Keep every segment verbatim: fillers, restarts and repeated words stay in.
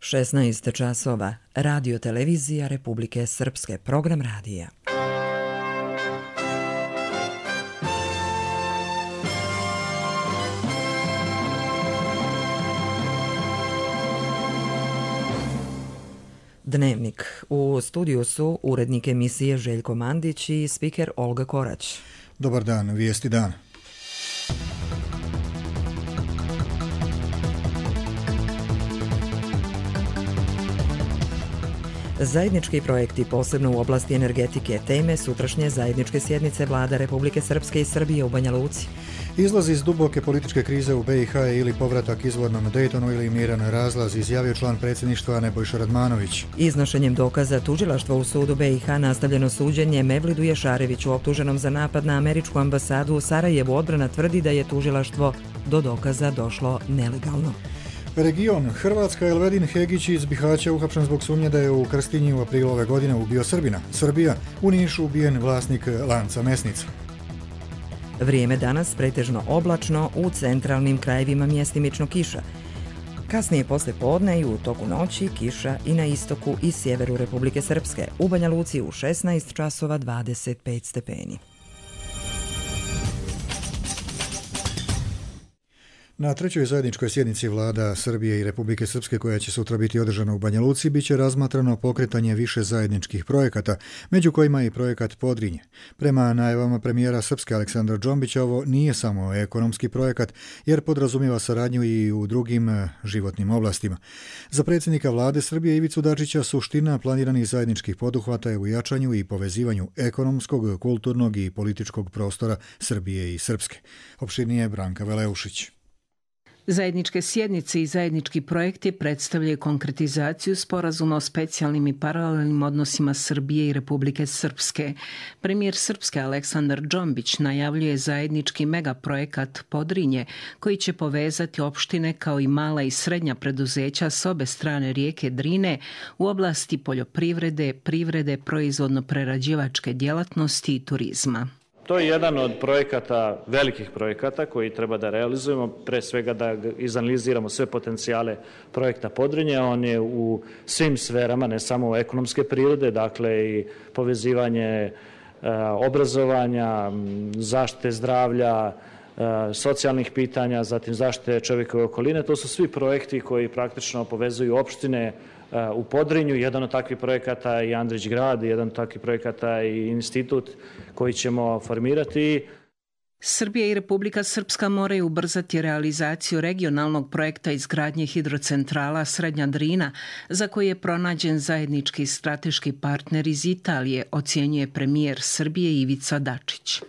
šesnaest časova, Radio televizija Republike Srpske, program radija. Dnevnik. U studiju su urednik emisije Željko Mandić i spiker Olga Korać. Dobar dan, vijesti dana. Zajednički projekti, posebno u oblasti energetike, teme sutrašnje zajedničke sjednice vlada Republike Srpske i Srbije u Banja Luci. Izlaz iz duboke političke krize u be i ha ili povratak izvornom Dejtonu ili miran razlaz, izjavio član predsjedništva Nebojša Radmanović. Iznošenjem dokaza tužilaštva u sudu be i ha nastavljeno suđenje Mevlidu Ješareviću optuženom za napad na američku ambasadu u Sarajevu. Odbrana tvrdi da je tužilaštvo do dokaza došlo nelegalno. Region. Hrvatska. Elvedin Hegić iz Bihaća uhapšen zbog sumnje da je u Krstinji u aprilu ove godine ubio Srbina. Srbija. U Nišu ubijen vlasnik lanca mesnica. Vrijeme danas pretežno oblačno, u centralnim krajevima mjestimično kiša. Kasnije posle podne i u toku noći kiša i na istoku i sjeveru Republike Srpske. U Banja Luci u šesnaest časova dvadeset pet stepeni. Na trećoj zajedničkoj sjednici vlada Srbije i Republike Srpske, koja će sutra biti održana u Banja Luci, bit će razmatrano pokretanje više zajedničkih projekata, među kojima i projekat Podrinje. Prema najavama premijera Srpske Aleksandra Džombića, ovo nije samo ekonomski projekat, jer podrazumijeva saradnju i u drugim životnim oblastima. Za predsjednika vlade Srbije Ivicu Dačića suština planiranih zajedničkih poduhvata je u jačanju i povezivanju ekonomskog, kulturnog i političkog prostora Srbije i Srpske. Opširnije Branka Veleušić. Zajedničke sjednice i zajednički projekti predstavljaju konkretizaciju sporazuma o specijalnim i paralelnim odnosima Srbije i Republike Srpske. Premijer Srpske Aleksandar Džombić najavljuje zajednički megaprojekat Podrinje, koji će povezati opštine kao i mala i srednja preduzeća s obe strane rijeke Drine u oblasti poljoprivrede, privrede, proizvodno-prerađivačke djelatnosti i turizma. To je jedan od projekata, velikih projekata koji treba da realizujemo, pre svega da izanaliziramo sve potencijale projekta Podrinje. On je u svim sferama, ne samo ekonomske prirode, dakle i povezivanje e, obrazovanja, zaštite zdravlja, e, socijalnih pitanja, zatim zaštite čovjekove okoline. To su svi projekti koji praktično povezuju opštine u Podrinju. Jedan od takvih projekata je Andrić grad, jedan od takvih projekata je institut koji ćemo formirati. Srbija i Republika Srpska moraju ubrzati realizaciju regionalnog projekta izgradnje hidrocentrala Srednja Drina, za koji je pronađen zajednički strateški partner iz Italije, ocjenjuje premijer Srbije Ivica Dačić.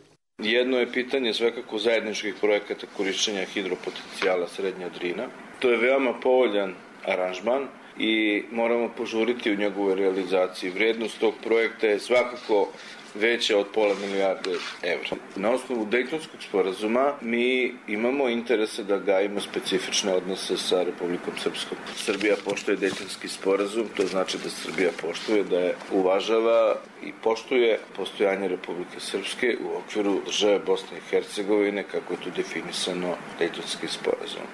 Jedno je pitanje svakako zajedničkih projekata korišćenja hidropotencijala Srednja Drina. To je veoma povoljan aranžman i moramo požuriti u njegovoj realizaciji. Vrijednost tog projekta je svakako veća od pola milijarde evra. Na osnovu Dejtonskog sporazuma mi imamo interese da gajimo specifične odnose sa Republikom Srpskom. Srbija poštuje Dejtonski sporazum, to znači da Srbija poštuje, da je uvažava i poštuje postojanje Republike Srpske u okviru države Bosne i Hercegovine, kako je tu definisano Dejtonskim sporazumom.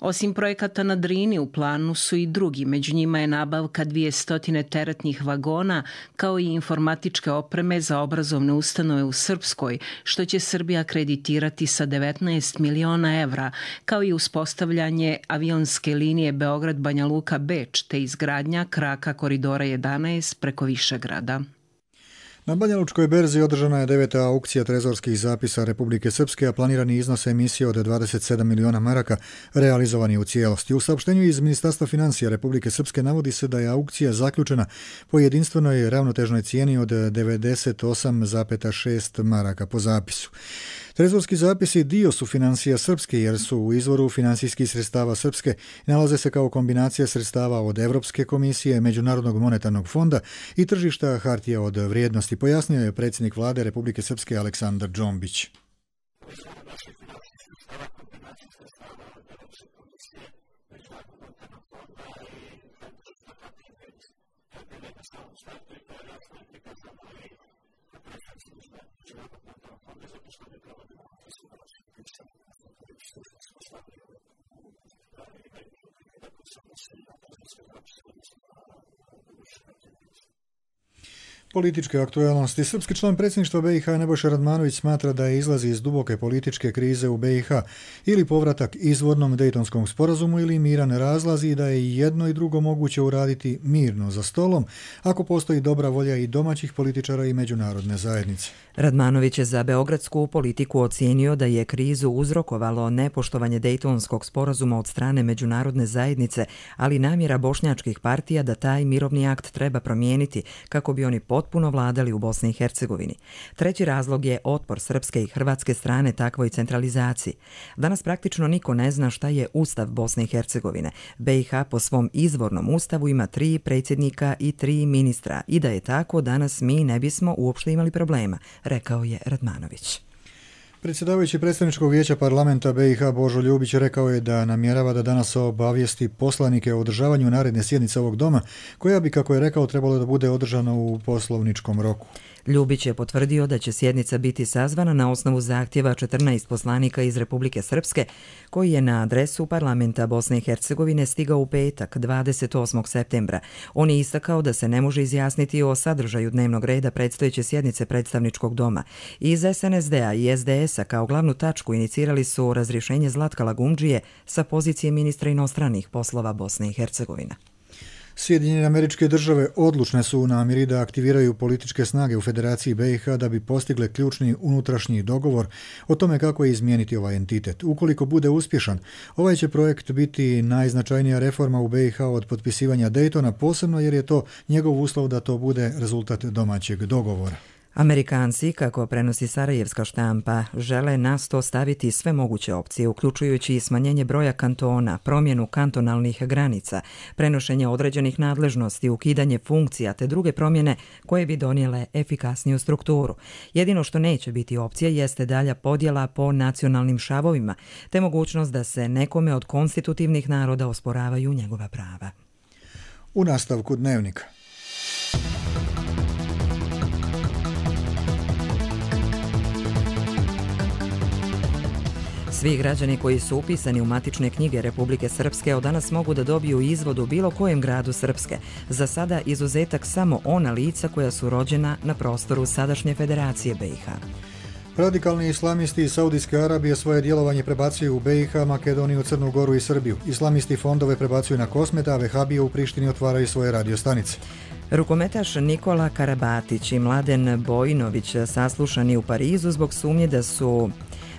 Osim projekata na Drini, u planu su i drugi. Među njima je nabavka dvjesto teretnih vagona, kao i informatičke opreme za obrazovne ustanove u Srpskoj, što će Srbija kreditirati sa devetnaest miliona evra, kao i uspostavljanje avionske linije Beograd-Banja Luka-Beč, te izgradnja kraka koridora jedanaest preko Višegrada. Na Banjalučkoj berzi održana je deveta aukcija trezorskih zapisa Republike Srpske, a planirani iznos emisije od dvadeset sedam miliona maraka realizovani u cijelosti. U saopštenju iz Ministarstva financija Republike Srpske navodi se da je aukcija zaključena po jedinstvenoj ravnotežnoj cijeni od devedeset osam zarez šest maraka po zapisu. Trezorski zapisi dio su financija Srpske, jer su u izvoru finansijskih sredstava Srpske, nalaze se kao kombinacija sredstava od Evropske komisije, Međunarodnog monetarnog fonda i tržišta hartija od vrijednosti, pojasnio je predsjednik vlade Republike Srpske Aleksandar Džombić. Političke aktualnosti. Srpski član predsjedništva B i H Nebojša Radmanović smatra da je izlazi iz duboke političke krize u B i H ili povratak izvornom Dejtonskom sporazumu ili miran razlazi i da je i jedno i drugo moguće uraditi mirno za stolom ako postoji dobra volja i domaćih političara i međunarodne zajednice. Radmanović je za beogradsku politiku ocijenio da je krizu uzrokovalo nepoštovanje Dejtonskog sporazuma od strane međunarodne zajednice, ali namjera bošnjačkih partija da taj mirovni akt treba promijeniti kako bi oni potpuno vladali u Bosni i Hercegovini. Treći razlog je otpor srpske i hrvatske strane takvoj centralizaciji. Danas praktično niko ne zna šta je Ustav Bosne i Hercegovine. B i H po svom izvornom ustavu ima tri predsjednika i tri ministra i da je tako danas mi ne bismo uopšte imali problema, rekao je Radmanović. Predsjedavajući predstavničkog vijeća parlamenta B i H Božo Ljubić rekao je da namjerava da danas obavijesti poslanike o održavanju naredne sjednice ovog doma, koja bi, kako je rekao, trebalo da bude održana u poslovničkom roku. Ljubić je potvrdio da će sjednica biti sazvana na osnovu zahtjeva četrnaest poslanika iz Republike Srpske, koji je na adresu parlamenta Bosne i Hercegovine stigao u petak, dvadeset osmog septembra. On je istakao da se ne može izjasniti o sadržaju dnevnog reda predstojeće sjednice predstavničkog doma. Iz S N S D-a i S D S-a kao glavnu tačku inicirali su razrješenje Zlatka Lagumdžije sa pozicije ministra inostranih poslova Bosne i Hercegovine. Sjedinjene Američke Države odlučne su u namjeri da aktiviraju političke snage u Federaciji B i H da bi postigle ključni unutrašnji dogovor o tome kako je izmijeniti ovaj entitet. Ukoliko bude uspješan, ovaj će projekt biti najznačajnija reforma u B i H od potpisivanja Daytona, posebno jer je to njegov uslov da to bude rezultat domaćeg dogovora. Amerikanci, kako prenosi sarajevska štampa, žele na sto staviti sve moguće opcije, uključujući i smanjenje broja kantona, promjenu kantonalnih granica, prenošenje određenih nadležnosti, ukidanje funkcija te druge promjene koje bi donijele efikasniju strukturu. Jedino što neće biti opcija jeste dalja podjela po nacionalnim šavovima, te mogućnost da se nekome od konstitutivnih naroda osporavaju njegova prava. U nastavku dnevnika. Svi građani koji su upisani u matične knjige Republike Srpske od danas mogu da dobiju izvod u bilo kojem gradu Srpske. Za sada izuzetak samo ona lica koja su rođena na prostoru sadašnje Federacije B i H. Radikalni islamisti iz Saudijske Arabije svoje djelovanje prebacuju u B i H, Makedoniju, Crnu Goru i Srbiju. Islamisti fondove prebacuju na Kosmet, a vehabije u Prištini otvaraju svoje radiostanice. Rukometaš Nikola Karabatić i Mladen Bojinović saslušani u Parizu zbog sumnje da su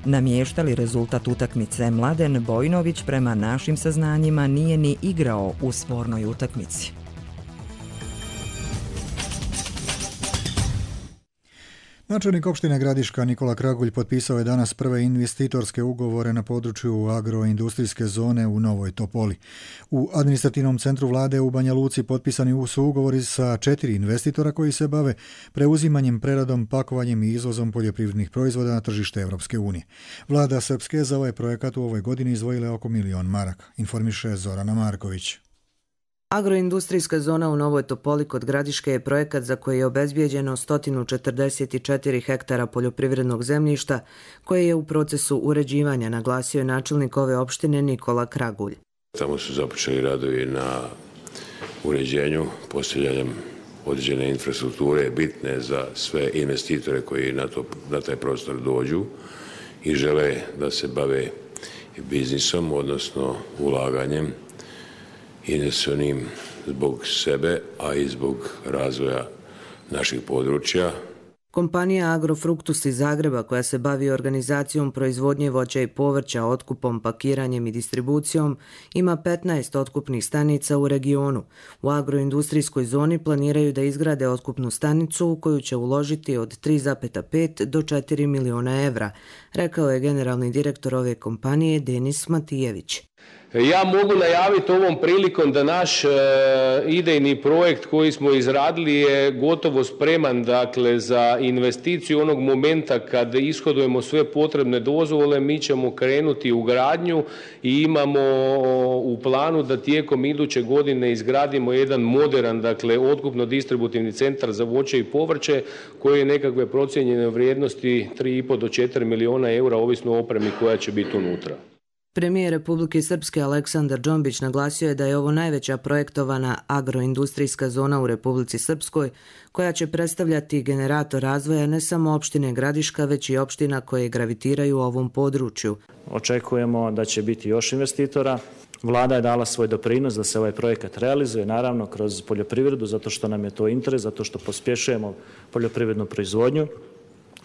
namještali rezultat utakmice. Mladen Bojinović prema našim saznanjima nije ni igrao u spornoj utakmici. Načelnik opštine Gradiška Nikola Kragulj potpisao je danas prve investitorske ugovore na području agroindustrijske zone u Novoj Topoli. U administrativnom centru vlade u Banja Luci potpisani su ugovori sa četiri investitora koji se bave preuzimanjem, preradom, pakovanjem i izvozom poljoprivrednih proizvoda na tržište Evropske unije. Vlada Srpske za ovaj projekat u ovoj godini izdvojila oko milion maraka, informiše Zorana Marković. Agroindustrijska zona u Novoj Topoli kod Gradiške je projekat za koji je obezbijeđeno sto četrdeset četiri hektara poljoprivrednog zemljišta koje je u procesu uređivanja, naglasio je načelnik ove opštine Nikola Kragulj. Tamo su započeli radovi na uređenju, postavljanjem određene infrastrukture bitne za sve investitore koji na, to, na taj prostor dođu i žele da se bave biznisom, odnosno ulaganjem investicionim zbog sebe, a i zbog razvoja naših područja. Kompanija Agrofruktus iz Zagreba, koja se bavi organizacijom proizvodnje voća i povrća, otkupom, pakiranjem i distribucijom, ima petnaest otkupnih stanica u regionu. U agroindustrijskoj zoni planiraju da izgrade otkupnu stanicu u koju će uložiti od tri zarez pet do četiri miliona evra, rekao je generalni direktor ove kompanije Denis Matijević. Ja mogu najaviti ovom prilikom da naš e, idejni projekt koji smo izradili je gotovo spreman, dakle, za investiciju onog momenta kad ishodujemo sve potrebne dozvole. Mi ćemo krenuti u gradnju i imamo u planu da tijekom iduće godine izgradimo jedan moderan, dakle, otkupno-distributivni centar za voće i povrće koji je nekakve procijenjene vrijednosti tri i pol do četiri miliona eura, ovisno o opremi koja će biti unutra. Premijer Republike Srpske Aleksandar Džombić naglasio je da je ovo najveća projektovana agroindustrijska zona u Republici Srpskoj, koja će predstavljati generator razvoja ne samo opštine Gradiška, već i opština koje gravitiraju u ovom području. Očekujemo da će biti još investitora. Vlada je dala svoj doprinos da se ovaj projekat realizuje, naravno kroz poljoprivredu, zato što nam je to interes, zato što pospješujemo poljoprivrednu proizvodnju.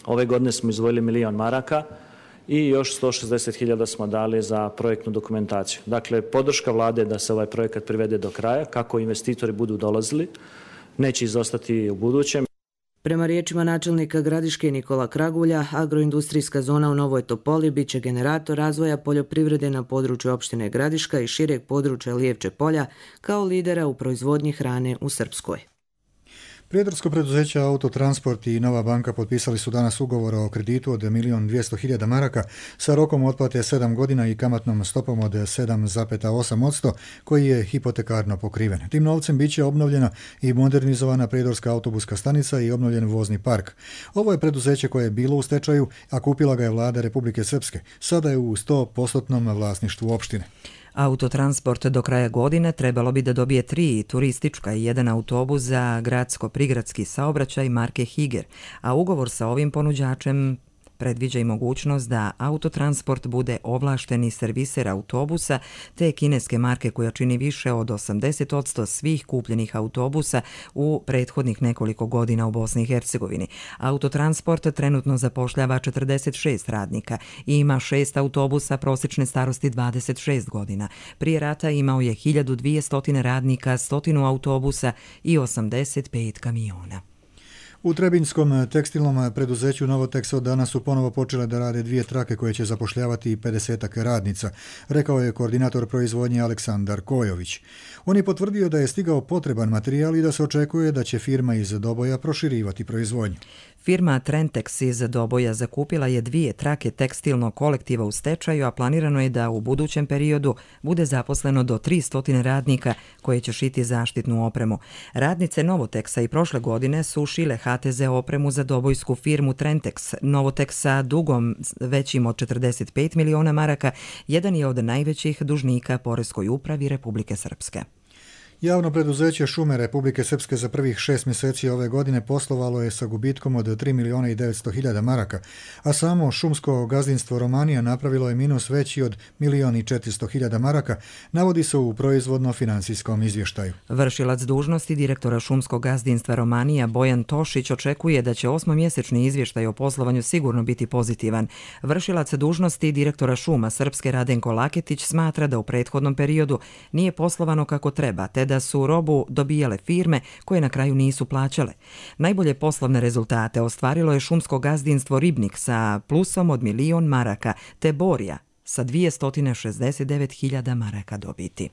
Ove godine smo izdvojili milion maraka i još sto šezdeset hiljada smo dali za projektnu dokumentaciju. Dakle, podrška vlade da se ovaj projekat privede do kraja, kako investitori budu dolazili, neće izostati u budućem. Prema riječima načelnika Gradiške Nikola Kragulja, agroindustrijska zona u Novoj Topoli biće generator razvoja poljoprivrede na području opštine Gradiška i šireg područja Lijevče polja kao lidera u proizvodnji hrane u Srpskoj. Prijedarsko preduzeće Autotransport i Nova banka potpisali su danas ugovor o kreditu od milion dvjesto hiljada maraka sa rokom otplate sedam godina i kamatnom stopom od sedam zarez osam posto koji je hipotekarno pokriven. Tim novcem biće obnovljena i modernizovana prijedorska autobuska stanica i obnovljen vozni park. Ovo je preduzeće koje je bilo u stečaju, a kupila ga je vlada Republike Srpske. Sada je u sto posto vlasništvu opštine. Autotransport do kraja godine trebalo bi da dobije tri turistička i jedan autobus za gradsko-prigradski saobraćaj marke Higer, a ugovor sa ovim ponuđačem predviđa i mogućnost da Autotransport bude ovlašteni serviser autobusa te kineske marke koja čini više od osamdeset posto svih kupljenih autobusa u prethodnih nekoliko godina u Bosni i Hercegovini. Autotransport trenutno zapošljava četrdeset šest radnika i ima šest autobusa prosječne starosti dvadeset šest godina. Prije rata imao je hiljadu dvjesto radnika, stotinu autobusa i osamdeset pet kamiona. U Trebinjskom tekstilnom preduzeću Novotex od danas su ponovo počele da rade dvije trake koje će zapošljavati pedesetak radnica, rekao je koordinator proizvodnje Aleksandar Kojović. On je potvrdio da je stigao potreban materijal i da se očekuje da će firma iz Doboja proširivati proizvodnju. Firma Trentex iz Doboja zakupila je dvije trake tekstilnog kolektiva u stečaju, a planirano je da u budućem periodu bude zaposleno do tristo radnika koje će šiti zaštitnu opremu. Radnice Novotexa i prošle godine su šile ha te ze opremu za dobojsku firmu Trentex. Novotex sa dugom većim od četrdeset pet miliona maraka jedan je od najvećih dužnika Poreskoj upravi Republike Srpske. Javno preduzeće Šume Republike Srpske za prvih šest mjeseci ove godine poslovalo je sa gubitkom od tri miliona i devetsto hiljada maraka, a samo šumsko gazdinstvo Romanija napravilo je minus veći od milion i četiristo hiljada maraka, navodi se u proizvodno-financijskom izvještaju. Vršilac dužnosti direktora šumskog gazdinstva Romanija Bojan Tošić očekuje da će osmomjesečni izvještaj o poslovanju sigurno biti pozitivan. Vršilac dužnosti direktora šuma Srpske Radenko Laketić smatra da u prethodnom periodu nije poslovano kako treba, te da su robu dobijale firme koje na kraju nisu plaćale. Najbolje poslovne rezultate ostvarilo je šumsko gazdinstvo Ribnik sa plusom od milion maraka, te Borja sa dvjesto šezdeset devet hiljada maraka dobiti.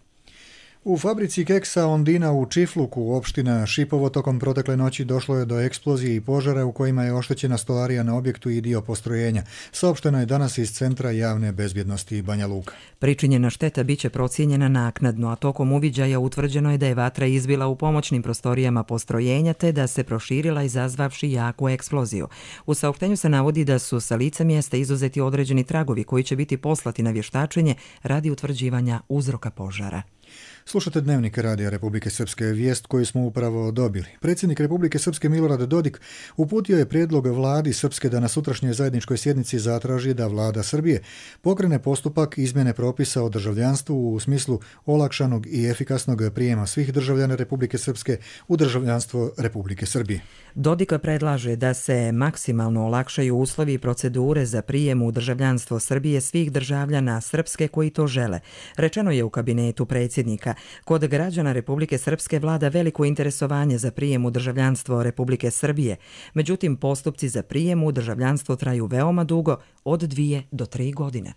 U fabrici keksa Ondina u Čifluku, opština Šipovo, tokom protekle noći došlo je do eksplozije i požara u kojima je oštećena stolarija na objektu i dio postrojenja. Saopšteno je danas iz Centra javne bezbjednosti Banja Luka. Pričinjena šteta biće procijenjena naknadno, a tokom uviđaja utvrđeno je da je vatra izbila u pomoćnim prostorijama postrojenja te da se proširila izazvavši jaku eksploziju. U saopštenju se navodi da su sa lica mjesta izuzeti određeni tragovi koji će biti poslati na vještačenje radi utvrđivanja uzroka požara. Slušate Dnevnik Radija Republike Srpske, vijest koju smo upravo dobili. Predsjednik Republike Srpske Milorad Dodik uputio je prijedlog vladi Srpske da na sutrašnjoj zajedničkoj sjednici zatraži da vlada Srbije pokrene postupak izmjene propisa o državljanstvu u smislu olakšanog i efikasnog prijema svih državljana Republike Srpske u državljanstvo Republike Srbije. Dodika predlaže da se maksimalno olakšaju uslovi i procedure za prijem u državljanstvo Srbije svih državljana Srpske koji to žele. Rečeno je u kabinetu predsjednika. Kod građana Republike Srpske vlada veliko interesovanje za prijem u državljanstvo Republike Srbije. Međutim, postupci za prijem u državljanstvo traju veoma dugo, od dvije do tri godine.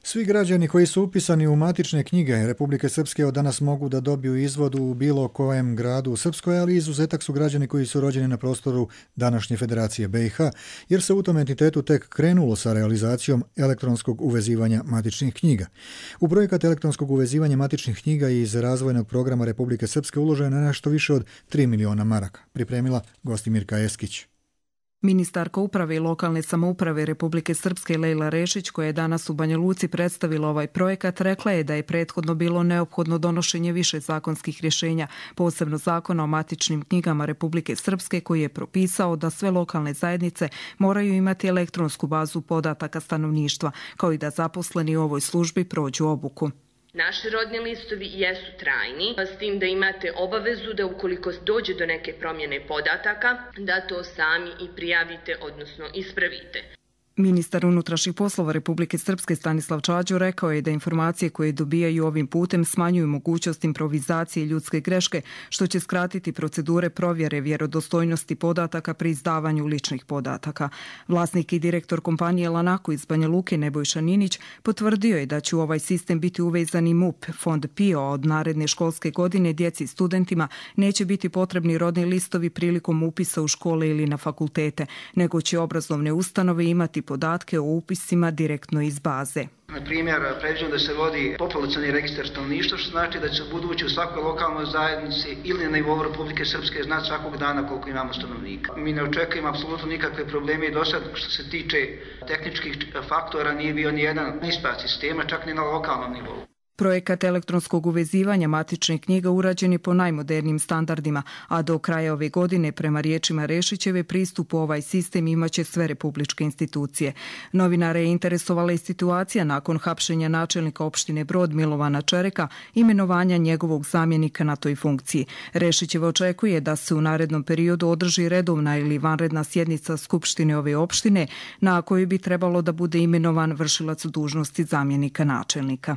Svi građani koji su upisani u matične knjige Republike Srpske od danas mogu da dobiju izvod u bilo kojem gradu u Srpskoj, ali izuzetak su građani koji su rođeni na prostoru današnje Federacije be i ha, jer se u tom entitetu tek krenulo sa realizacijom elektronskog uvezivanja matičnih knjiga. U projekat elektronskog uvezivanja matičnih knjiga iz razvojnog programa Republike Srpske uloženo je nešto više od tri miliona maraka, pripremila Gostimirka Eskić. Ministarka uprave i lokalne samouprave Republike Srpske Lejla Rešić, koja je danas u Banja Luci predstavila ovaj projekat, rekla je da je prethodno bilo neophodno donošenje više zakonskih rješenja, posebno zakona o matičnim knjigama Republike Srpske, koji je propisao da sve lokalne zajednice moraju imati elektronsku bazu podataka stanovništva, kao i da zaposleni u ovoj službi prođu obuku. Naši rodni listovi jesu trajni, s tim da imate obavezu da ukoliko dođe do neke promjene podataka, da to sami i prijavite, odnosno ispravite. Ministar unutrašnjih poslova Republike Srpske Stanislav Čađo rekao je da informacije koje dobijaju ovim putem smanjuju mogućnost improvizacije i ljudske greške, što će skratiti procedure provjere vjerodostojnosti podataka pri izdavanju ličnih podataka. Vlasnik i direktor kompanije Lanaku iz Banja Luke Nebojša Ninić potvrdio je da će u ovaj sistem biti uvezan i M U P, fond P I O, a od naredne školske godine djeci i studentima neće biti potrebni rodni listovi prilikom upisa u škole ili na fakultete, nego će obrazovne ustanove imati podatke o upisima direktno iz baze. Na primjer, predviđeno da se vodi populacioni registar stanovništva, što znači da će budući u svakoj lokalnoj zajednici ili na nivou Republike Srpske znati svakog dana koliko imamo stanovnika. Mi ne očekujemo apsolutno nikakve probleme i do sad, što se tiče tehničkih faktora, nije bio ni jedan ispad sistema, čak ni na lokalnom nivou. Projekat elektronskog uvezivanja matičnih knjiga urađen je po najmodernijim standardima, a do kraja ove godine, prema riječima Rešićeve, pristup u ovaj sistem imaće sve republičke institucije. Novinare je interesovala i situacija nakon hapšenja načelnika opštine Brod Milovana Čereka, imenovanja njegovog zamjenika na toj funkciji. Rešićeva očekuje da se u narednom periodu održi redovna ili vanredna sjednica skupštine ove opštine, na kojoj bi trebalo da bude imenovan vršilac dužnosti zamjenika načelnika.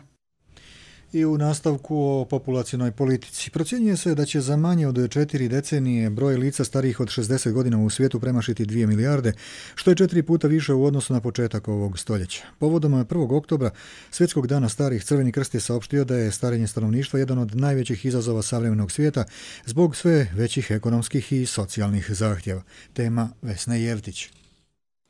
I u nastavku o populacionoj politici. Procjenjuje se da će za manje od četiri decenije broj lica starijih od šezdeset godina u svijetu premašiti dvije milijarde, što je četiri puta više u odnosu na početak ovog stoljeća. Povodom prvog oktobra, Svjetskog dana starih, Crveni krst je saopštio da je starenje stanovništva jedan od najvećih izazova savremenog svijeta zbog sve većih ekonomskih i socijalnih zahtjeva. Tema Vesne Jevtić.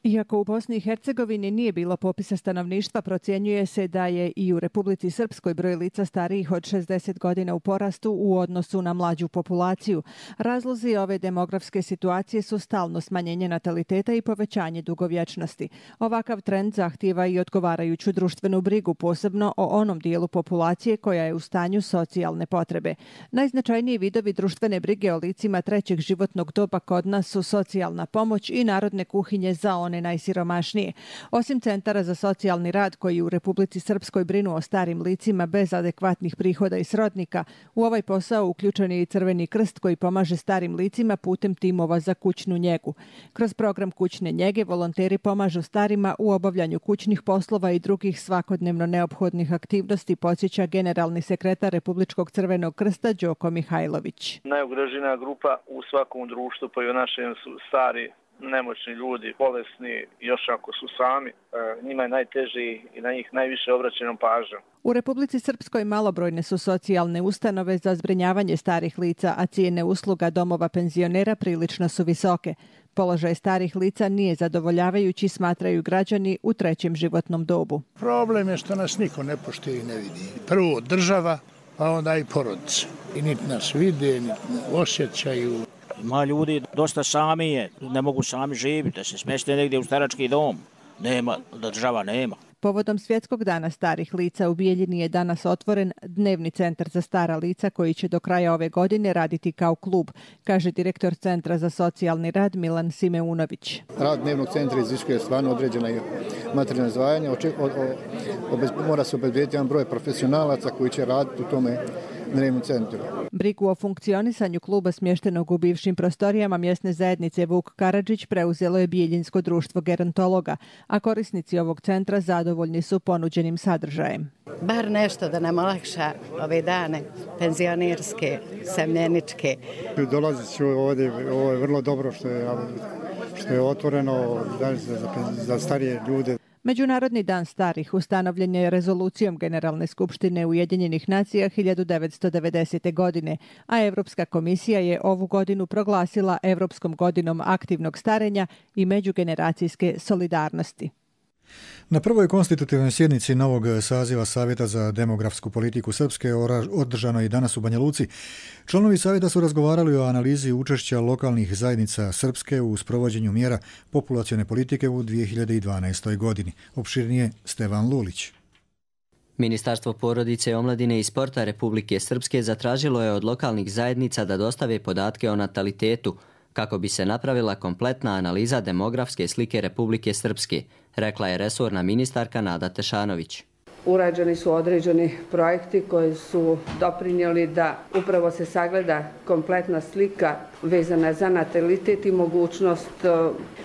Iako u Bosni i Hercegovini nije bilo popisa stanovništva, procjenjuje se da je i u Republici Srpskoj broj lica starijih od šezdeset godina u porastu u odnosu na mlađu populaciju. Razlozi ove demografske situacije su stalno smanjenje nataliteta i povećanje dugovječnosti. Ovakav trend zahtijeva i odgovarajuću društvenu brigu, posebno o onom dijelu populacije koja je u stanju socijalne potrebe. Najznačajniji vidovi društvene brige o licima trećeg životnog doba kod nas su socijalna pomoć i narodne kuhinje za one najsiromašnije. Osim centara za socijalni rad koji u Republici Srpskoj brinu o starim licima bez adekvatnih prihoda i srodnika, u ovaj posao uključen je i Crveni krst koji pomaže starim licima putem timova za kućnu njegu. Kroz program kućne njege volonteri pomažu starima u obavljanju kućnih poslova i drugih svakodnevno neophodnih aktivnosti, podsjeća generalni sekretar Republičkog Crvenog krsta Đoko Mihajlović. Najugroženija grupa u svakom društvu pa i u našem su stari, nemoćni ljudi, bolesni, još ako su sami, njima je najteži i na njih najviše obraćenom pažnjom. U Republici Srpskoj malobrojne su socijalne ustanove za zbrinjavanje starih lica, a cijene usluga domova penzionera prilično su visoke. Položaj starih lica nije zadovoljavajući, smatraju građani u trećem životnom dobu. Problem je što nas niko ne poštuje i ne vidi. Prvo država, pa onda i porodica. I niti nas vide, niti osjećaju. Ima ljudi dosta sami je, ne mogu sami živjeti, da se smjeste negdje u starački dom. Nema, država nema. Povodom Svjetskog dana starih lica u Bijeljini je danas otvoren dnevni centar za stara lica koji će do kraja ove godine raditi kao klub, kaže direktor Centra za socijalni rad Milan Simeunović. Rad dnevnog centra iziskuje stvarno određena materijalna izdvajanja. Mora se obezbediti jedan broj profesionalaca koji će raditi u tome dnevnom centru. Brigu o funkcionisanju kluba smještenog u bivšim prostorijama mjesne zajednice Vuk Karadžić preuzelo je Bijeljinsko društvo gerontologa, a korisnici ovog centra zadovoljni su ponuđenim sadržajem. Bar nešto da nam olakša ove dane penzionerske, semljeničke. Dolazit ću ovdje, ovo je vrlo dobro što je, što je otvoreno za, za starije ljude. Međunarodni dan starih ustanovljen je rezolucijom Generalne skupštine Ujedinjenih nacija hiljadu devetsto devedesete. godine, a Europska komisija je ovu godinu proglasila Europskom godinom aktivnog starenja i međugeneracijske solidarnosti. Na prvoj konstitutivnoj sjednici novog saziva Savjeta za demografsku politiku Srpske, održano i danas u Banja Luci, članovi savjeta su razgovarali o analizi učešća lokalnih zajednica Srpske u sprovođenju mjera populacione politike u dvije hiljade dvanaestoj. godini. Opširnije Stevan Lulić. Ministarstvo porodice, omladine i sporta Republike Srpske zatražilo je od lokalnih zajednica da dostave podatke o natalitetu kako bi se napravila kompletna analiza demografske slike Republike Srpske, rekla je resorna ministarka Nada Tešanović. Urađeni su određeni projekti koji su doprinijeli da upravo se sagleda kompletna slika vezana za natalitet i mogućnost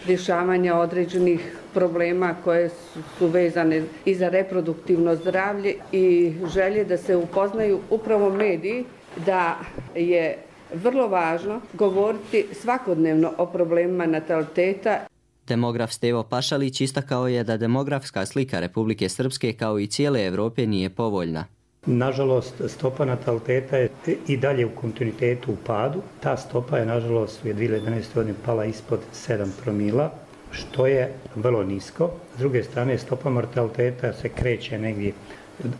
rješavanja određenih problema koje su vezane i za reproduktivno zdravlje i želje da se upoznaju upravo mediji, da je vrlo važno govoriti svakodnevno o problemima nataliteta. Demograf Stevo Pašalić istakao je da demografska slika Republike Srpske kao i cijele Evrope nije povoljna. Nažalost, stopa nataliteta je i dalje u kontinuitetu u padu. Ta stopa je, nažalost, u dvije hiljade jedanaestoj. godini pala ispod sedam promila, što je vrlo nisko. S druge strane, stopa mortaliteta se kreće negdje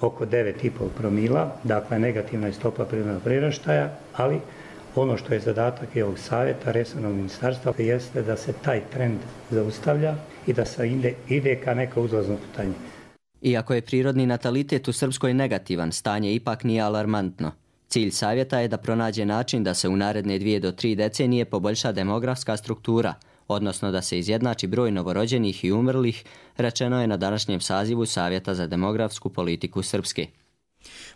oko devet i pol promila, dakle negativna je stopa prirodnog priraštaja, ali ono što je zadatak i ovog savjeta, resornog ministarstva, jeste da se taj trend zaustavlja i da se ide, ide ka neka uzlazno putanje. Iako je prirodni natalitet u Srpskoj negativan, stanje ipak nije alarmantno. Cilj savjeta je da pronađe način da se u naredne dvije do tri decenije poboljša demografska struktura, odnosno da se izjednači broj novorođenih i umrlih, rečeno je na današnjem sazivu Savjeta za demografsku politiku Srpske.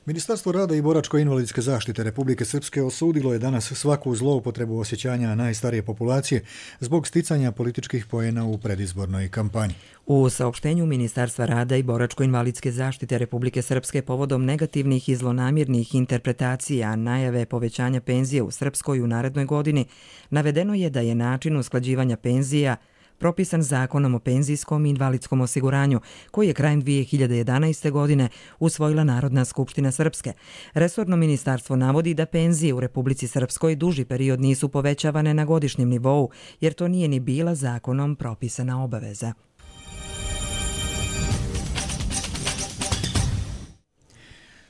Ministarstvo rada i boračko-invalidske zaštite Republike Srpske osudilo je danas svaku zloupotrebu osjećanja najstarije populacije zbog sticanja političkih poena u predizbornoj kampanji. U saopštenju Ministarstva rada i boračko-invalidske zaštite Republike Srpske povodom negativnih i zlonamirnih interpretacija najave povećanja penzije u Srpskoj u narednoj godini, navedeno je da je način usklađivanja penzija propisan Zakonom o penzijskom i invalidskom osiguranju, koji je krajem dvije hiljade jedanaeste. godine usvojila Narodna skupština Srpske. Resorno ministarstvo navodi da penzije u Republici Srpskoj duži period nisu povećavane na godišnjem nivou, jer to nije ni bila zakonom propisana obaveza.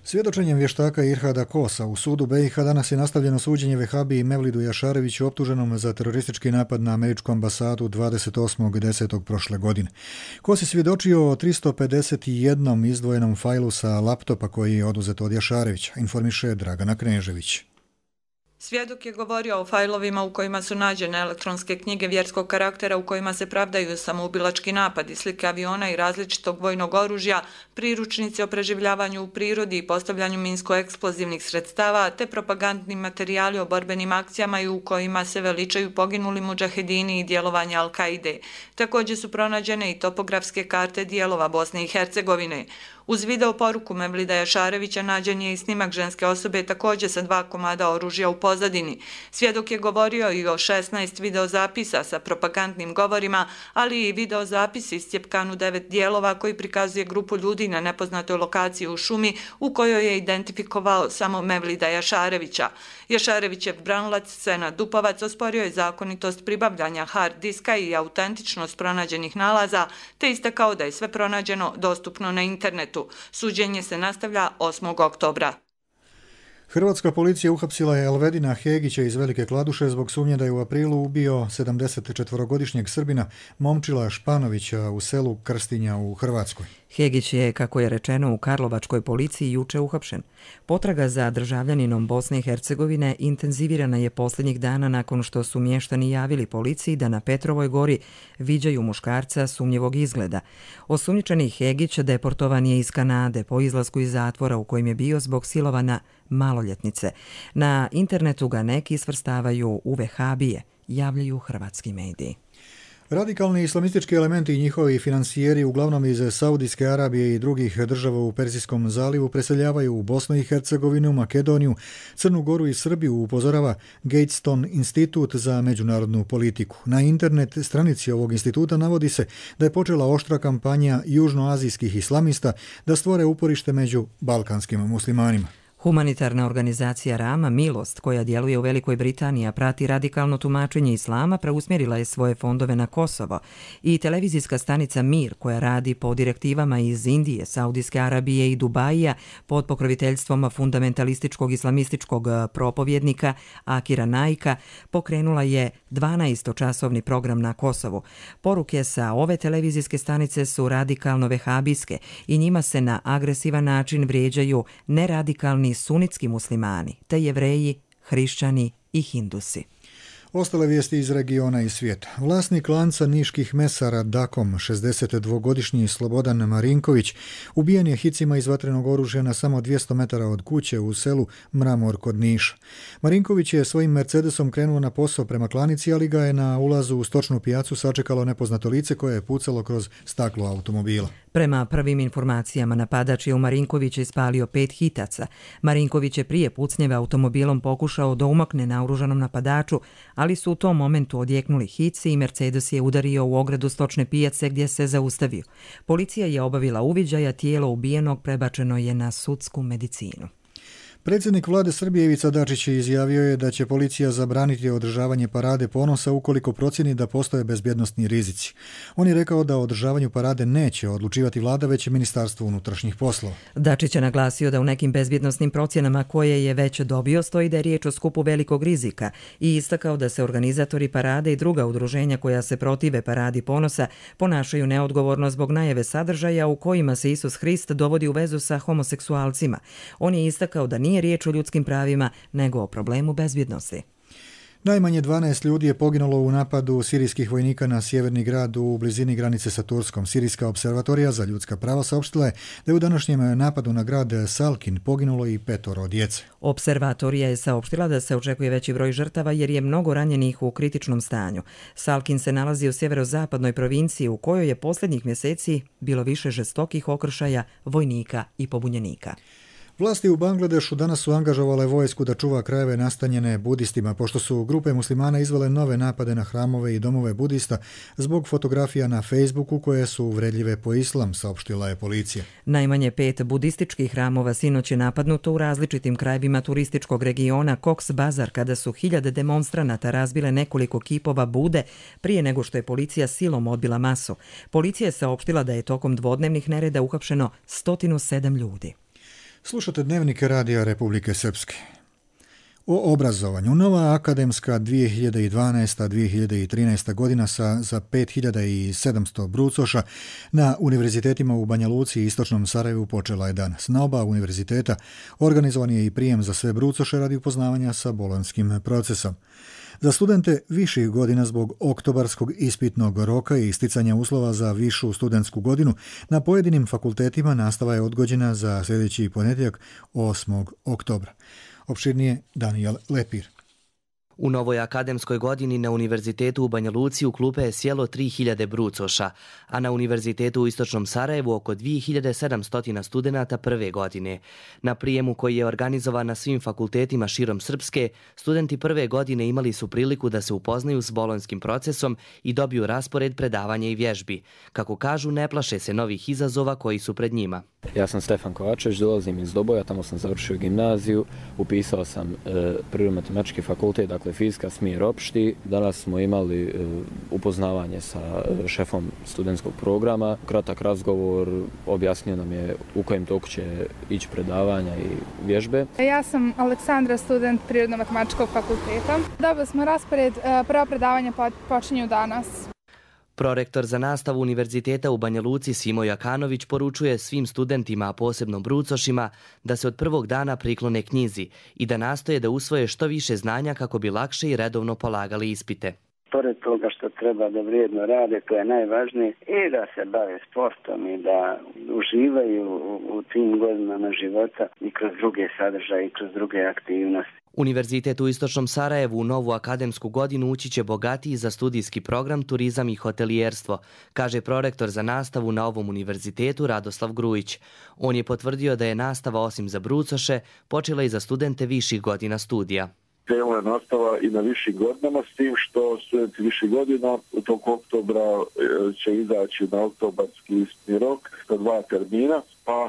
Svjedočenjem vještaka Irhada Kosa u sudu be i ha danas je nastavljeno suđenje Vehabiji Mevlidu Jašareviću optuženom za teroristički napad na američku ambasadu dvadeset osmog desetog prošle godine. Kos je svjedočio o tristo pedeset jednom izdvojenom fajlu sa laptopa koji je oduzet od Jašarevića, informiše Dragana Knežević. Svjedok je govorio o fajlovima u kojima su nađene elektronske knjige vjerskog karaktera u kojima se pravdaju samoubilački napadi, slike aviona i različitog vojnog oružja, priručnici o preživljavanju u prirodi i postavljanju minsko-eksplozivnih sredstava, te propagandni materijali o borbenim akcijama i u kojima se veličaju poginuli mudžahedini i djelovanja Al-Kaide. Također su pronađene i topografske karte dijelova Bosne i Hercegovine. Uz video poruku Mevlida Jašarevića nađen je i snimak ženske osobe također sa dva komada oružja u pozadini. Svjedok je govorio i o šesnaest videozapisa sa propagandnim govorima, ali i videozapis iscjepkan u devet dijelova koji prikazuje grupu ljudi na nepoznatoj lokaciji u šumi u kojoj je identifikovao samo Mevlida Jašarevića. Jašarevićev branilac Senad Dupovac osporio je zakonitost pribavljanja hard diska i autentičnost pronađenih nalaza, te istakao da je sve pronađeno dostupno na internetu. Suđenje se nastavlja osmog oktobra. Hrvatska policija uhapsila je Elvedina Hegića iz Velike Kladuše zbog sumnje da je u aprilu ubio sedamdesetčetvorogodišnjeg Srbina Momčila Španovića u selu Krstinja u Hrvatskoj. Hegić je, kako je rečeno, u Karlovačkoj policiji juče uhapšen. Potraga za državljaninom Bosne i Hercegovine intenzivirana je posljednjih dana nakon što su mještani javili policiji da na Petrovoj gori viđaju muškarca sumnjivog izgleda. Osumnjičeni Hegić deportovan je iz Kanade po izlasku iz zatvora u kojem je bio zbog silovana maloljetnice. Na internetu ga neki svrstavaju u vehabije, javljaju hrvatski mediji. Radikalni islamistički elementi i njihovi finansijeri, uglavnom iz Saudijske Arabije i drugih država u Persijskom zalivu, preseljavaju u Bosnu i Hercegovinu, Makedoniju, Crnu Goru i Srbiju, upozorava Gatestone institut za međunarodnu politiku. Na internet stranici ovog instituta navodi se da je počela oštra kampanja južnoazijskih islamista da stvore uporište među balkanskim muslimanima. Humanitarna organizacija Rama Milost, koja djeluje u Velikoj Britaniji, a prati radikalno tumačenje islama, preusmjerila je svoje fondove na Kosovo. I televizijska stanica Mir, koja radi po direktivama iz Indije, Saudijske Arabije i Dubaija pod pokroviteljstvom fundamentalističkog islamističkog propovjednika Akira Naika, pokrenula je dvanaestočasovni program na Kosovu. Poruke sa ove televizijske stanice su radikalno vehabijske i njima se na agresivan način vrijeđaju neradikalni sunitski muslimani, te Jevreji, hrišćani i hindusi. Ostale vijesti iz regiona i svijeta. Vlasnik lanca niških mesara Dakom, šezdesetdvogodišnji Slobodan Marinković, ubijen je hicima iz vatrenog oružja na samo dvjesto metara od kuće u selu Mramor kod Niša. Marinković je svojim Mercedesom krenuo na posao prema klanici, ali ga je na ulazu u stočnu pijacu sačekalo nepoznato lice koje je pucalo kroz staklo automobila. Prema prvim informacijama, napadač je u Marinkovića ispalio pet hitaca. Marinković je prije pucnjeva automobilom pokušao da umakne naoružanom napadaču, ali su u tom momentu odjeknuli hici i Mercedes je udario u ogradu stočne pijace gdje se zaustavio. Policija je obavila uviđaj, a tijelo ubijenog prebačeno je na sudsku medicinu. Predsjednik vlade Srbije Ivica Dačić izjavio je da će policija zabraniti održavanje parade ponosa ukoliko procjeni da postoje bezbjednosni rizici. On je rekao da o održavanju parade neće odlučivati vlada, već Ministarstvo unutrašnjih poslova. Dačić je naglasio da u nekim bezbjednosnim procjenama koje je već dobio stoji da je riječ o skupu velikog rizika i istakao da se organizatori parade i druga udruženja koja se protive paradi ponosa ponašaju neodgovorno zbog najave sadržaja u kojima se Isus Hrist dovodi u vezu sa homoseksualcima. On je istakao da nije Nije riječ o ljudskim pravima, nego o problemu bezbjednosti. Najmanje dvanaest ljudi je poginulo u napadu sirijskih vojnika na sjeverni grad u blizini granice sa Turskom. Sirijska observatorija za ljudska prava saopštila je da je u današnjem napadu na grad Salkin poginulo i petoro djece. Observatorija je saopštila da se očekuje veći broj žrtava jer je mnogo ranjenih u kritičnom stanju. Salkin se nalazi u sjeverozapadnoj provinciji u kojoj je posljednjih mjeseci bilo više žestokih okršaja vojnika i pobunjenika. Vlasti u Bangladešu danas su angažovale vojsku da čuva krajeve nastanjene budistima, pošto su grupe muslimana izvele nove napade na hramove i domove budista zbog fotografija na Facebooku koje su uvredljive po islam, saopštila je policija. Najmanje pet budističkih hramova sinoć je napadnuto u različitim krajevima turističkog regiona Cox Bazar, kada su hiljade demonstranata razbile nekoliko kipova Bude prije nego što je policija silom odbila masu. Policija je saopštila da je tokom dvodnevnih nereda uhapšeno sto sedam ljudi. Slušate Dnevnik radija Republike Srpske. O obrazovanju. Nova akademska dvije hiljade dvanaesta dvije hiljade trinaesta godina sa za pet hiljada sedamsto brucoša na univerzitetima u Banja Luci i Istočnom Sarajevu počela je danas. Na oba univerziteta organizovan je i prijem za sve brucoše radi upoznavanja sa bolonjskim procesom. Za studente viših godina zbog oktobarskog ispitnog roka i isticanja uslova za višu studentsku godinu na pojedinim fakultetima nastava je odgođena za sljedeći ponedjeljak osmog oktobra. Opširnije Daniel Lepir. U novoj akademskoj godini na Univerzitetu u Banja Luci u klupe je sjelo tri hiljade brucoša, a na Univerzitetu u Istočnom Sarajevu oko dvije hiljade sedamsto studenata prve godine. Na prijemu koji je organizovan na svim fakultetima širom Srpske, studenti prve godine imali su priliku da se upoznaju s bolonjskim procesom i dobiju raspored predavanja i vježbi. Kako kažu, ne plaše se novih izazova koji su pred njima. Ja sam Stefan Kovačević, dolazim iz Doboja, tamo sam završio gimnaziju, upisao sam e, prirodno-matematički fakultet, dakle fizika, smjer opšti. Danas smo imali e, upoznavanje sa e, šefom studentskog programa. Kratak razgovor, objasnio nam je u kojem toku će ići predavanja i vježbe. Ja sam Aleksandra, student prirodno-matematičkog fakulteta. Dobili smo raspored, prva predavanja počinju danas. Prorektor za nastavu Univerziteta u Banja Luci Simo Jakanović poručuje svim studentima, a posebno brucošima, da se od prvog dana priklone knjizi i da nastoje da usvoje što više znanja kako bi lakše i redovno polagali ispite. Pored toga što treba da vrijedno rade, to je najvažnije, i da se bave sportom i da uživaju u, u tim godinama života i kroz druge sadržaje i kroz druge aktivnosti. Univerzitet u Istočnom Sarajevu u novu akademsku godinu ući će bogatiji za studijski program turizam i hotelijerstvo, kaže prorektor za nastavu na ovom univerzitetu Radoslav Grujić. On je potvrdio da je nastava osim za brucoše počela i za studente viših godina studija. Krenula je nastava i na višim godinama, s tim što studenti viših godina u toku oktobra će izaći na oktobarski ispitni rok sa dva termina. pa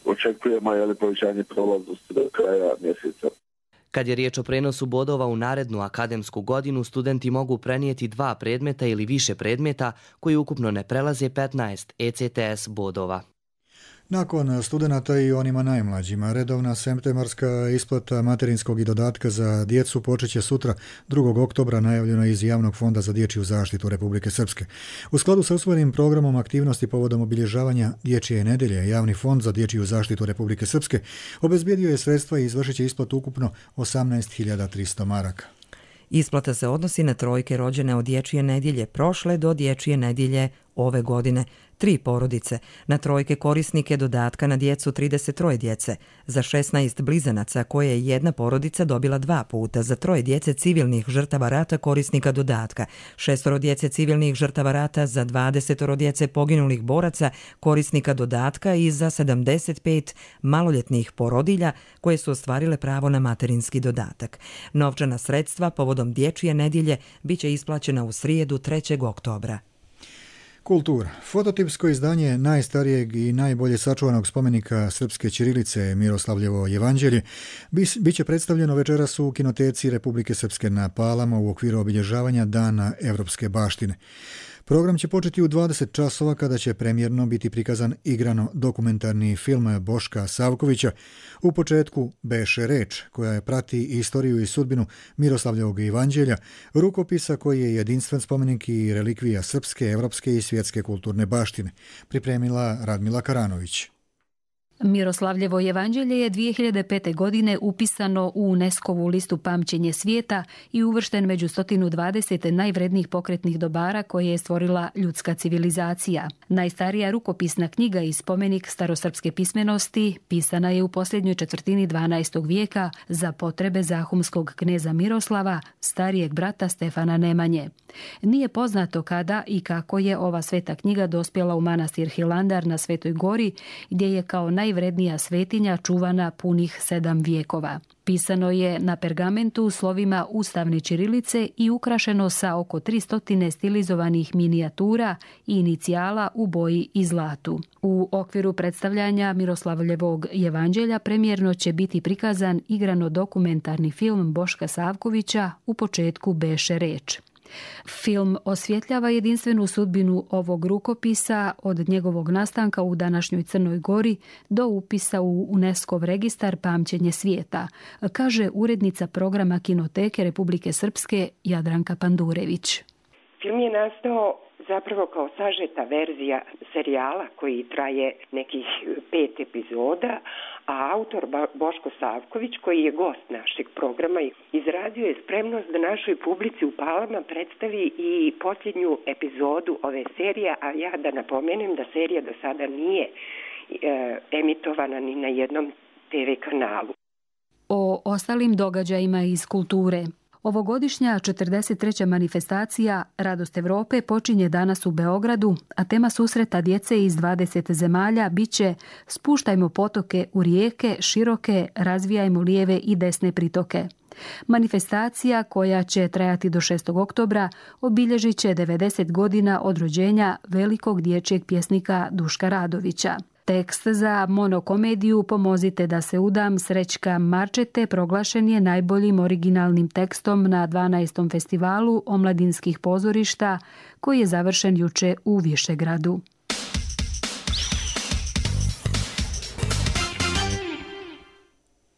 očekujemo je povećanje prolaznosti do kraja mjeseca. Kad je riječ o prenosu bodova u narednu akademsku godinu, studenti mogu prenijeti dva predmeta ili više predmeta koji ukupno ne prelaze petnaest E C T S bodova. Nakon studenata i onima najmlađima, redovna septembarska isplata materinskog i dodatka za djecu počeće sutra drugog oktobra, najavljeno iz Javnog fonda za dječju zaštitu Republike Srpske. U skladu sa usvojenim programom aktivnosti povodom obilježavanja Dječje nedelje, Javni fond za dječju zaštitu Republike Srpske obezbijedio je sredstva i izvršit će isplatu ukupno osamnaest hiljada tristo maraka. Isplata se odnosi na trojke rođene od Dječje nedjelje prošle do Dječje nedjelje ove godine. Tri porodice, na trojke korisnike dodatka na djecu trideset tri djece, za šesnaest blizanaca koje je jedna porodica dobila dva puta, za troje djece civilnih žrtava rata korisnika dodatka, šestoro djece civilnih žrtava rata, za dvadesetoro djece poginulih boraca korisnika dodatka i za sedamdeset pet maloljetnih porodilja koje su ostvarile pravo na materinski dodatak. Novčana sredstva povodom Dječje nedjelje biće isplaćena u srijedu trećeg oktobra. Kultura. Fototipsko izdanje najstarijeg i najbolje sačuvanog spomenika srpske ćirilice Miroslavljevo jevanđelje biće predstavljeno večeras u Kinoteci Republike Srpske na Palama u okviru obilježavanja Dana evropske baštine. Program će početi u dvadeset časova kada će premijerno biti prikazan igrano dokumentarni film Boška Savkovića U početku beše reč, koja prati istoriju i sudbinu Miroslavljevog evanđelja, rukopisa koji je jedinstven spomenik i relikvija srpske, evropske i svjetske kulturne baštine, pripremila Radmila Karanović. Miroslavljevo jevanđelje je dvije hiljade pete. godine upisano u UNESCO-vu listu Pamćenje svijeta i uvršten među sto dvadeset najvrednijih pokretnih dobara koje je stvorila ljudska civilizacija. Najstarija rukopisna knjiga i spomenik starosrpske pismenosti pisana je u posljednjoj četvrtini dvanaestog vijeka za potrebe zahumskog kneza Miroslava, starijeg brata Stefana Nemanje. Nije poznato kada i kako je ova sveta knjiga dospjela u manastir Hilandar na Svetoj gori, gdje je kao najvrednija svetinja čuvana punih sedam vijekova. Pisano je na pergamentu slovima ustavne ćirilice i ukrašeno sa oko tristo stilizovanih minijatura i inicijala u boji i zlatu. U okviru predstavljanja Miroslavljevog jevanđelja premijerno će biti prikazan igrano dokumentarni film Boška Savkovića U početku beše reč. Film osvjetljava jedinstvenu sudbinu ovog rukopisa od njegovog nastanka u današnjoj Crnoj Gori do upisa u UNESCO-v registar Pamćenje svijeta, kaže urednica programa Kinoteke Republike Srpske Jadranka Pandurević. Film je nastao zapravo kao sažeta verzija serijala koji traje nekih pet epizoda, a autor Boško Savković, koji je gost našeg programa, izrazio je spremnost da našoj publici u Palama predstavi i posljednju epizodu ove serije, a ja da napomenem da serija do sada nije e, emitovana ni na jednom te ve kanalu. O ostalim događajima iz kulture. Ovogodišnja četrdeset treća manifestacija Radost Evrope počinje danas u Beogradu, a tema susreta djece iz dvadeset zemalja biće Spuštajmo potoke u rijeke, široke, razvijajmo lijeve i desne pritoke. Manifestacija, koja će trajati do šestog oktobra, obilježit će devedeset godina od rođenja velikog dječjeg pjesnika Duška Radovića. Tekst za monokomediju Pomozite da se udam Srećka Marčete proglašen je najboljim originalnim tekstom na dvanaestom festivalu omladinskih pozorišta koji je završen juče u Višegradu.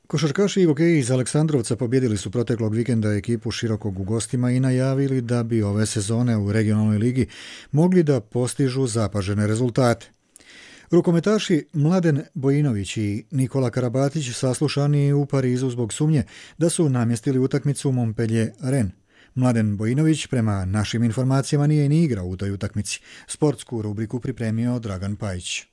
Košarkaši i hokeji iz Aleksandrovca pobjedili su proteklog vikenda ekipu Širokog u gostima i najavili da bi ove sezone u regionalnoj ligi mogli da postižu zapažene rezultate. Rukometaši Mladen Bojinović i Nikola Karabatić saslušani u Parizu zbog sumnje da su namjestili utakmicu Montpellier-Rennes. Mladen Bojinović prema našim informacijama nije ni igrao u toj utakmici. Sportsku rubriku pripremio Dragan Pajić.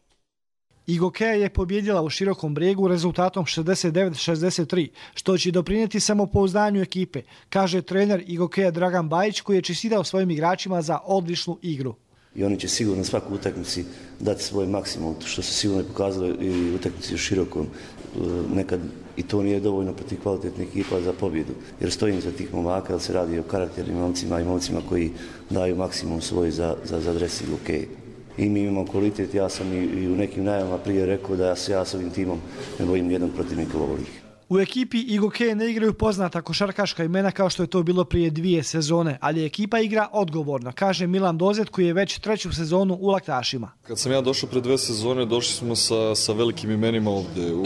Igokeja je pobjedila u Širokom Brijegu rezultatom šezdeset devet šezdeset tri, što će doprinijeti samopouzdanju ekipe, kaže trener Igokeja Dragan Bajić, koji je čestitao svojim igračima za odličnu igru. I oni će sigurno na svaku utakmici dati svoj maksimum, što se sigurno je pokazalo i u utakmici u Širokom. Nekad i to nije dovoljno protiv kvalitetnih ekipa za pobjedu, jer stojim za tih momaka, jer se radi o karakternim momcima i momcima koji daju maksimum svoj za, za, za dres Igokeje. i mi imamo kvalitet. Ja sam i, i u nekim najavama prije rekao da ja se ja s ovim timom ne bojim nijednog protivnika u ovoj ligi. U ekipi Igoke ne igraju poznata košarkaška imena kao što je to bilo prije dvije sezone, ali ekipa igra odgovorno, kaže Milan Dozet koji je već treću sezonu u Laktašima. Kad sam ja došao pre dve sezone, došli smo sa, sa velikim imenima ovdje u,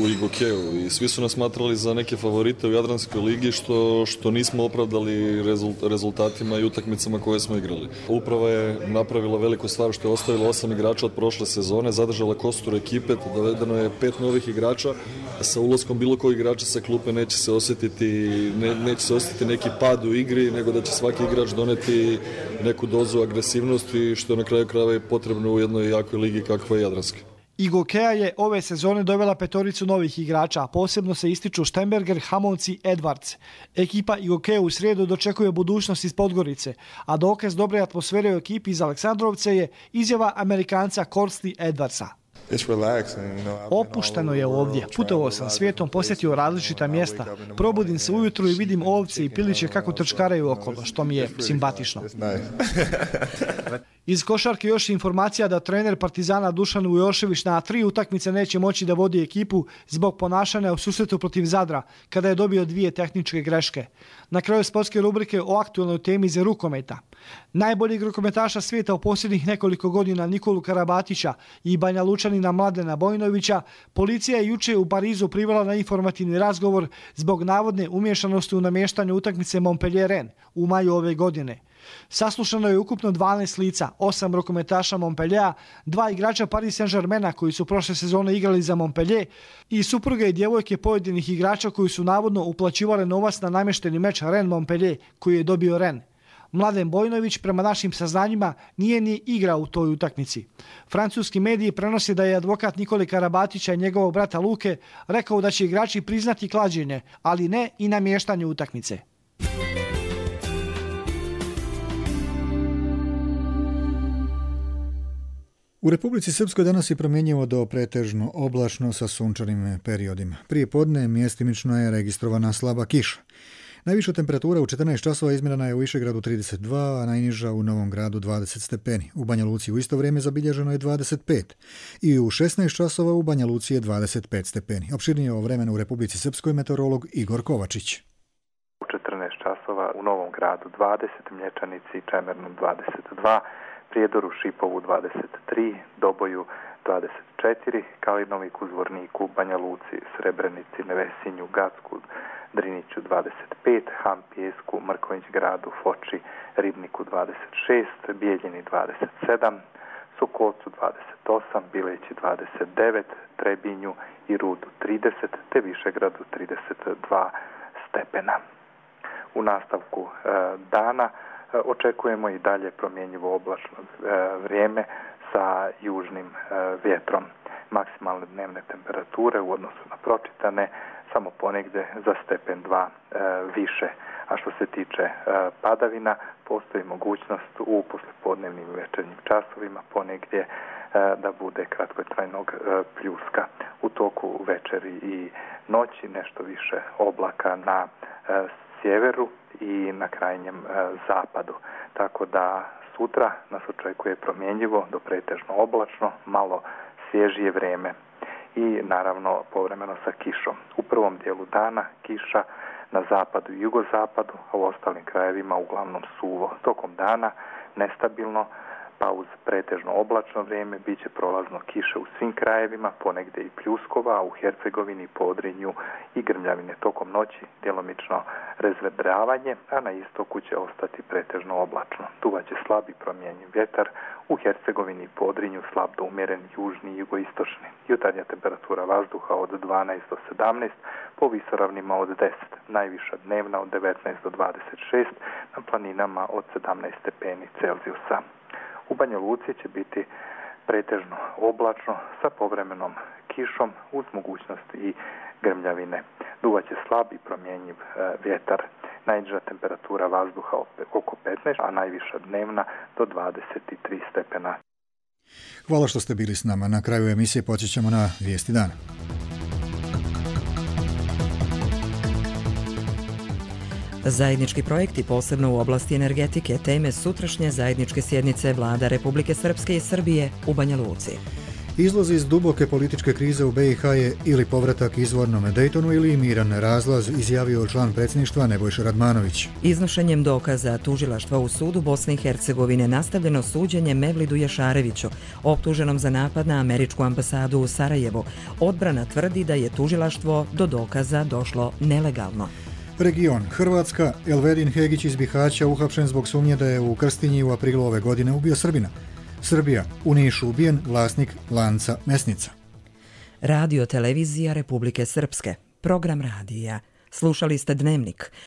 u Igokeu i svi su nas smatrali za neke favorite u Jadranskoj ligi što, što nismo opravdali rezult, rezultatima i utakmicama koje smo igrali. Uprava je napravila veliku stvar što je ostavila osam igrača od prošle sezone, zadržala kostur ekipe, dovedeno je pet novih igrača, sa ulaskom bilo koji igrača sa klupe neće se osjetiti ne, neće se osjetiti neki pad u igri, nego da će svaki igrač doneti neku dozu agresivnosti, što je na kraju krajeva potrebno u jednoj jakoj ligi kakva je Jadranska. Igokea je ove sezone dovela petoricu novih igrača, a posebno se ističu Štemberger, Hamonc i Edwards. Ekipa Igokea u srijedu dočekuje budućnost iz Podgorice, a dokaz dobre atmosfere u ekipi iz Aleksandrovce je izjava Amerikanca Korsti Edwardsa. Opušteno je ovdje. Putovao sam svijetom, posjetio različita mjesta. Probudim se ujutru i vidim ovce i piliće kako trčkaraju okolo, što mi je simpatično. Iz košarke još informacija da trener Partizana Dušan Vujošević na tri utakmice neće moći da vodi ekipu zbog ponašanja u susretu protiv Zadra, kada je dobio dvije tehničke greške. Na kraju sportske rubrike o aktualnoj temi za rukometa. Najboljeg rukometaša svijeta u posljednjih nekoliko godina Nikolu Karabatića i Banja Lučanina Mladena Bojnovića policija je juče u Parizu privela na informativni razgovor zbog navodne umješanosti u namještanju utakmice Montpellier-Rennes u maju ove godine. Saslušano je ukupno dvanaest lica, osam rukometaša Montpelliera, dva igrača Paris Saint-Germaina koji su prošle sezone igrali za Montpellier i supruge i djevojke pojedinih igrača koji su navodno uplaćivali novac na namješteni meč Rennes-Montpellier koji je dobio Rennes. Mladen Bojnović, prema našim saznanjima, nije ni igrao u toj utakmici. Francuski mediji prenose da je advokat Nikole Karabatića i njegovog brata Luke rekao da će igrači priznati klađenje, ali ne i namještanje utakmice. U Republici Srpskoj danas je promjenjivo do pretežno oblačno sa sunčanim periodima. Prije podne mjestimično je registrovana slaba kiša. Najviša temperatura u četrnaest časova izmjerena je u Višegradu trideset dva, a najniža u Novom Gradu dvadeset stepeni. U Banja Luci u isto vrijeme zabilježeno je dvadeset pet i u šesnaest časova u Banja Luci je dvadeset pet stepeni. Opširnije o vremenu u Republici Srpskoj meteorolog Igor Kovačić. U četrnaest časova u Novom Gradu dvadeset, Mlječanici i Čemernom dvadeset dva, Prijedoru, Šipovu dvadeset tri, Doboju dvadeset četiri, Kalinovik u Zvorniku, Banja Luci, Srebrenici, Nevesinju, Gacku, Driniću dvadeset pet, Ham Pijesku, Mrkonjić Gradu, Foči, Ribniku dvadeset šest, Bijeljini dvadeset sedam, Sokolcu dvadeset osam, Bileći dvadeset devet, Trebinju i Rudu trideset, te Višegradu trideset dva stepena. U nastavku e, dana e, očekujemo i dalje promjenjivo oblačno e, vrijeme sa južnim e, vjetrom. Maksimalne dnevne temperature u odnosu na pročitane samo ponegdje za stepen dva e, više. A što se tiče e, padavina, postoji mogućnost u poslijepodnevnim i večernjim časovima ponegdje e, da bude kratkotrajnog e, pljuska. U toku večeri i noći nešto više oblaka na e, sjeveru i na krajnjem e, zapadu. Tako da sutra nas očekuje promjenjivo do pretežno oblačno, malo svježije vrijeme i naravno povremeno sa kišom. U prvom dijelu dana kiša na zapadu i jugozapadu, a u ostalim krajevima uglavnom suvo. Tokom dana nestabilno, pa uz pretežno oblačno vrijeme bit će prolazno kiše u svim krajevima, ponegdje i pljuskova, a u Hercegovini, Podrinju i grmljavine. Tokom noći djelomično razvedravanje, a na istoku će ostati pretežno oblačno. Duvaće slab i promjenjiv vjetar, u Hercegovini i Podrinju slab do umjeren južni i jugoistočni. Jutarnja temperatura vazduha od dvanaest do sedamnaest, po visoravnima od deset, najviša dnevna od devetnaest do dvadeset šest, na planinama od sedamnaest stepeni Celzijusa. U Banja Luci će biti pretežno oblačno sa povremenom kišom uz mogućnost i grmljavine. Duvaće slab i promjenjiv e, vjetar. Najniža temperatura vazduha oko petnaest, a najviša dnevna do dvadeset tri stepena. Hvala što ste bili s nama. Na kraju emisije počećemo na vijesti dana. Zajednički projekti, posebno u oblasti energetike, teme sutrašnje zajedničke sjednice vlada Republike Srpske i Srbije u Banja Luci. Izlaz iz duboke političke krize u B i H je ili povratak izvornome Dejtonu ili miran razlaz, izjavio član predsjedništva Nebojša Radmanović. Iznošenjem dokaza tužilaštva u sudu Bosne i Hercegovine nastavljeno suđenje Mevlidu Jašareviću, optuženom za napad na američku ambasadu u Sarajevo. Odbrana tvrdi da je tužilaštvo do dokaza došlo nelegalno. Region Hrvatska, Elvedin Hegić iz Bihaća uhapšen zbog sumnje da je u Krstinji u aprilu ove godine ubio Srbina. Srbija, u Nišu ubijen vlasnik lanca mesnica. Radio televizija Republike Srpske, program radija. Slušali ste Dnevnik.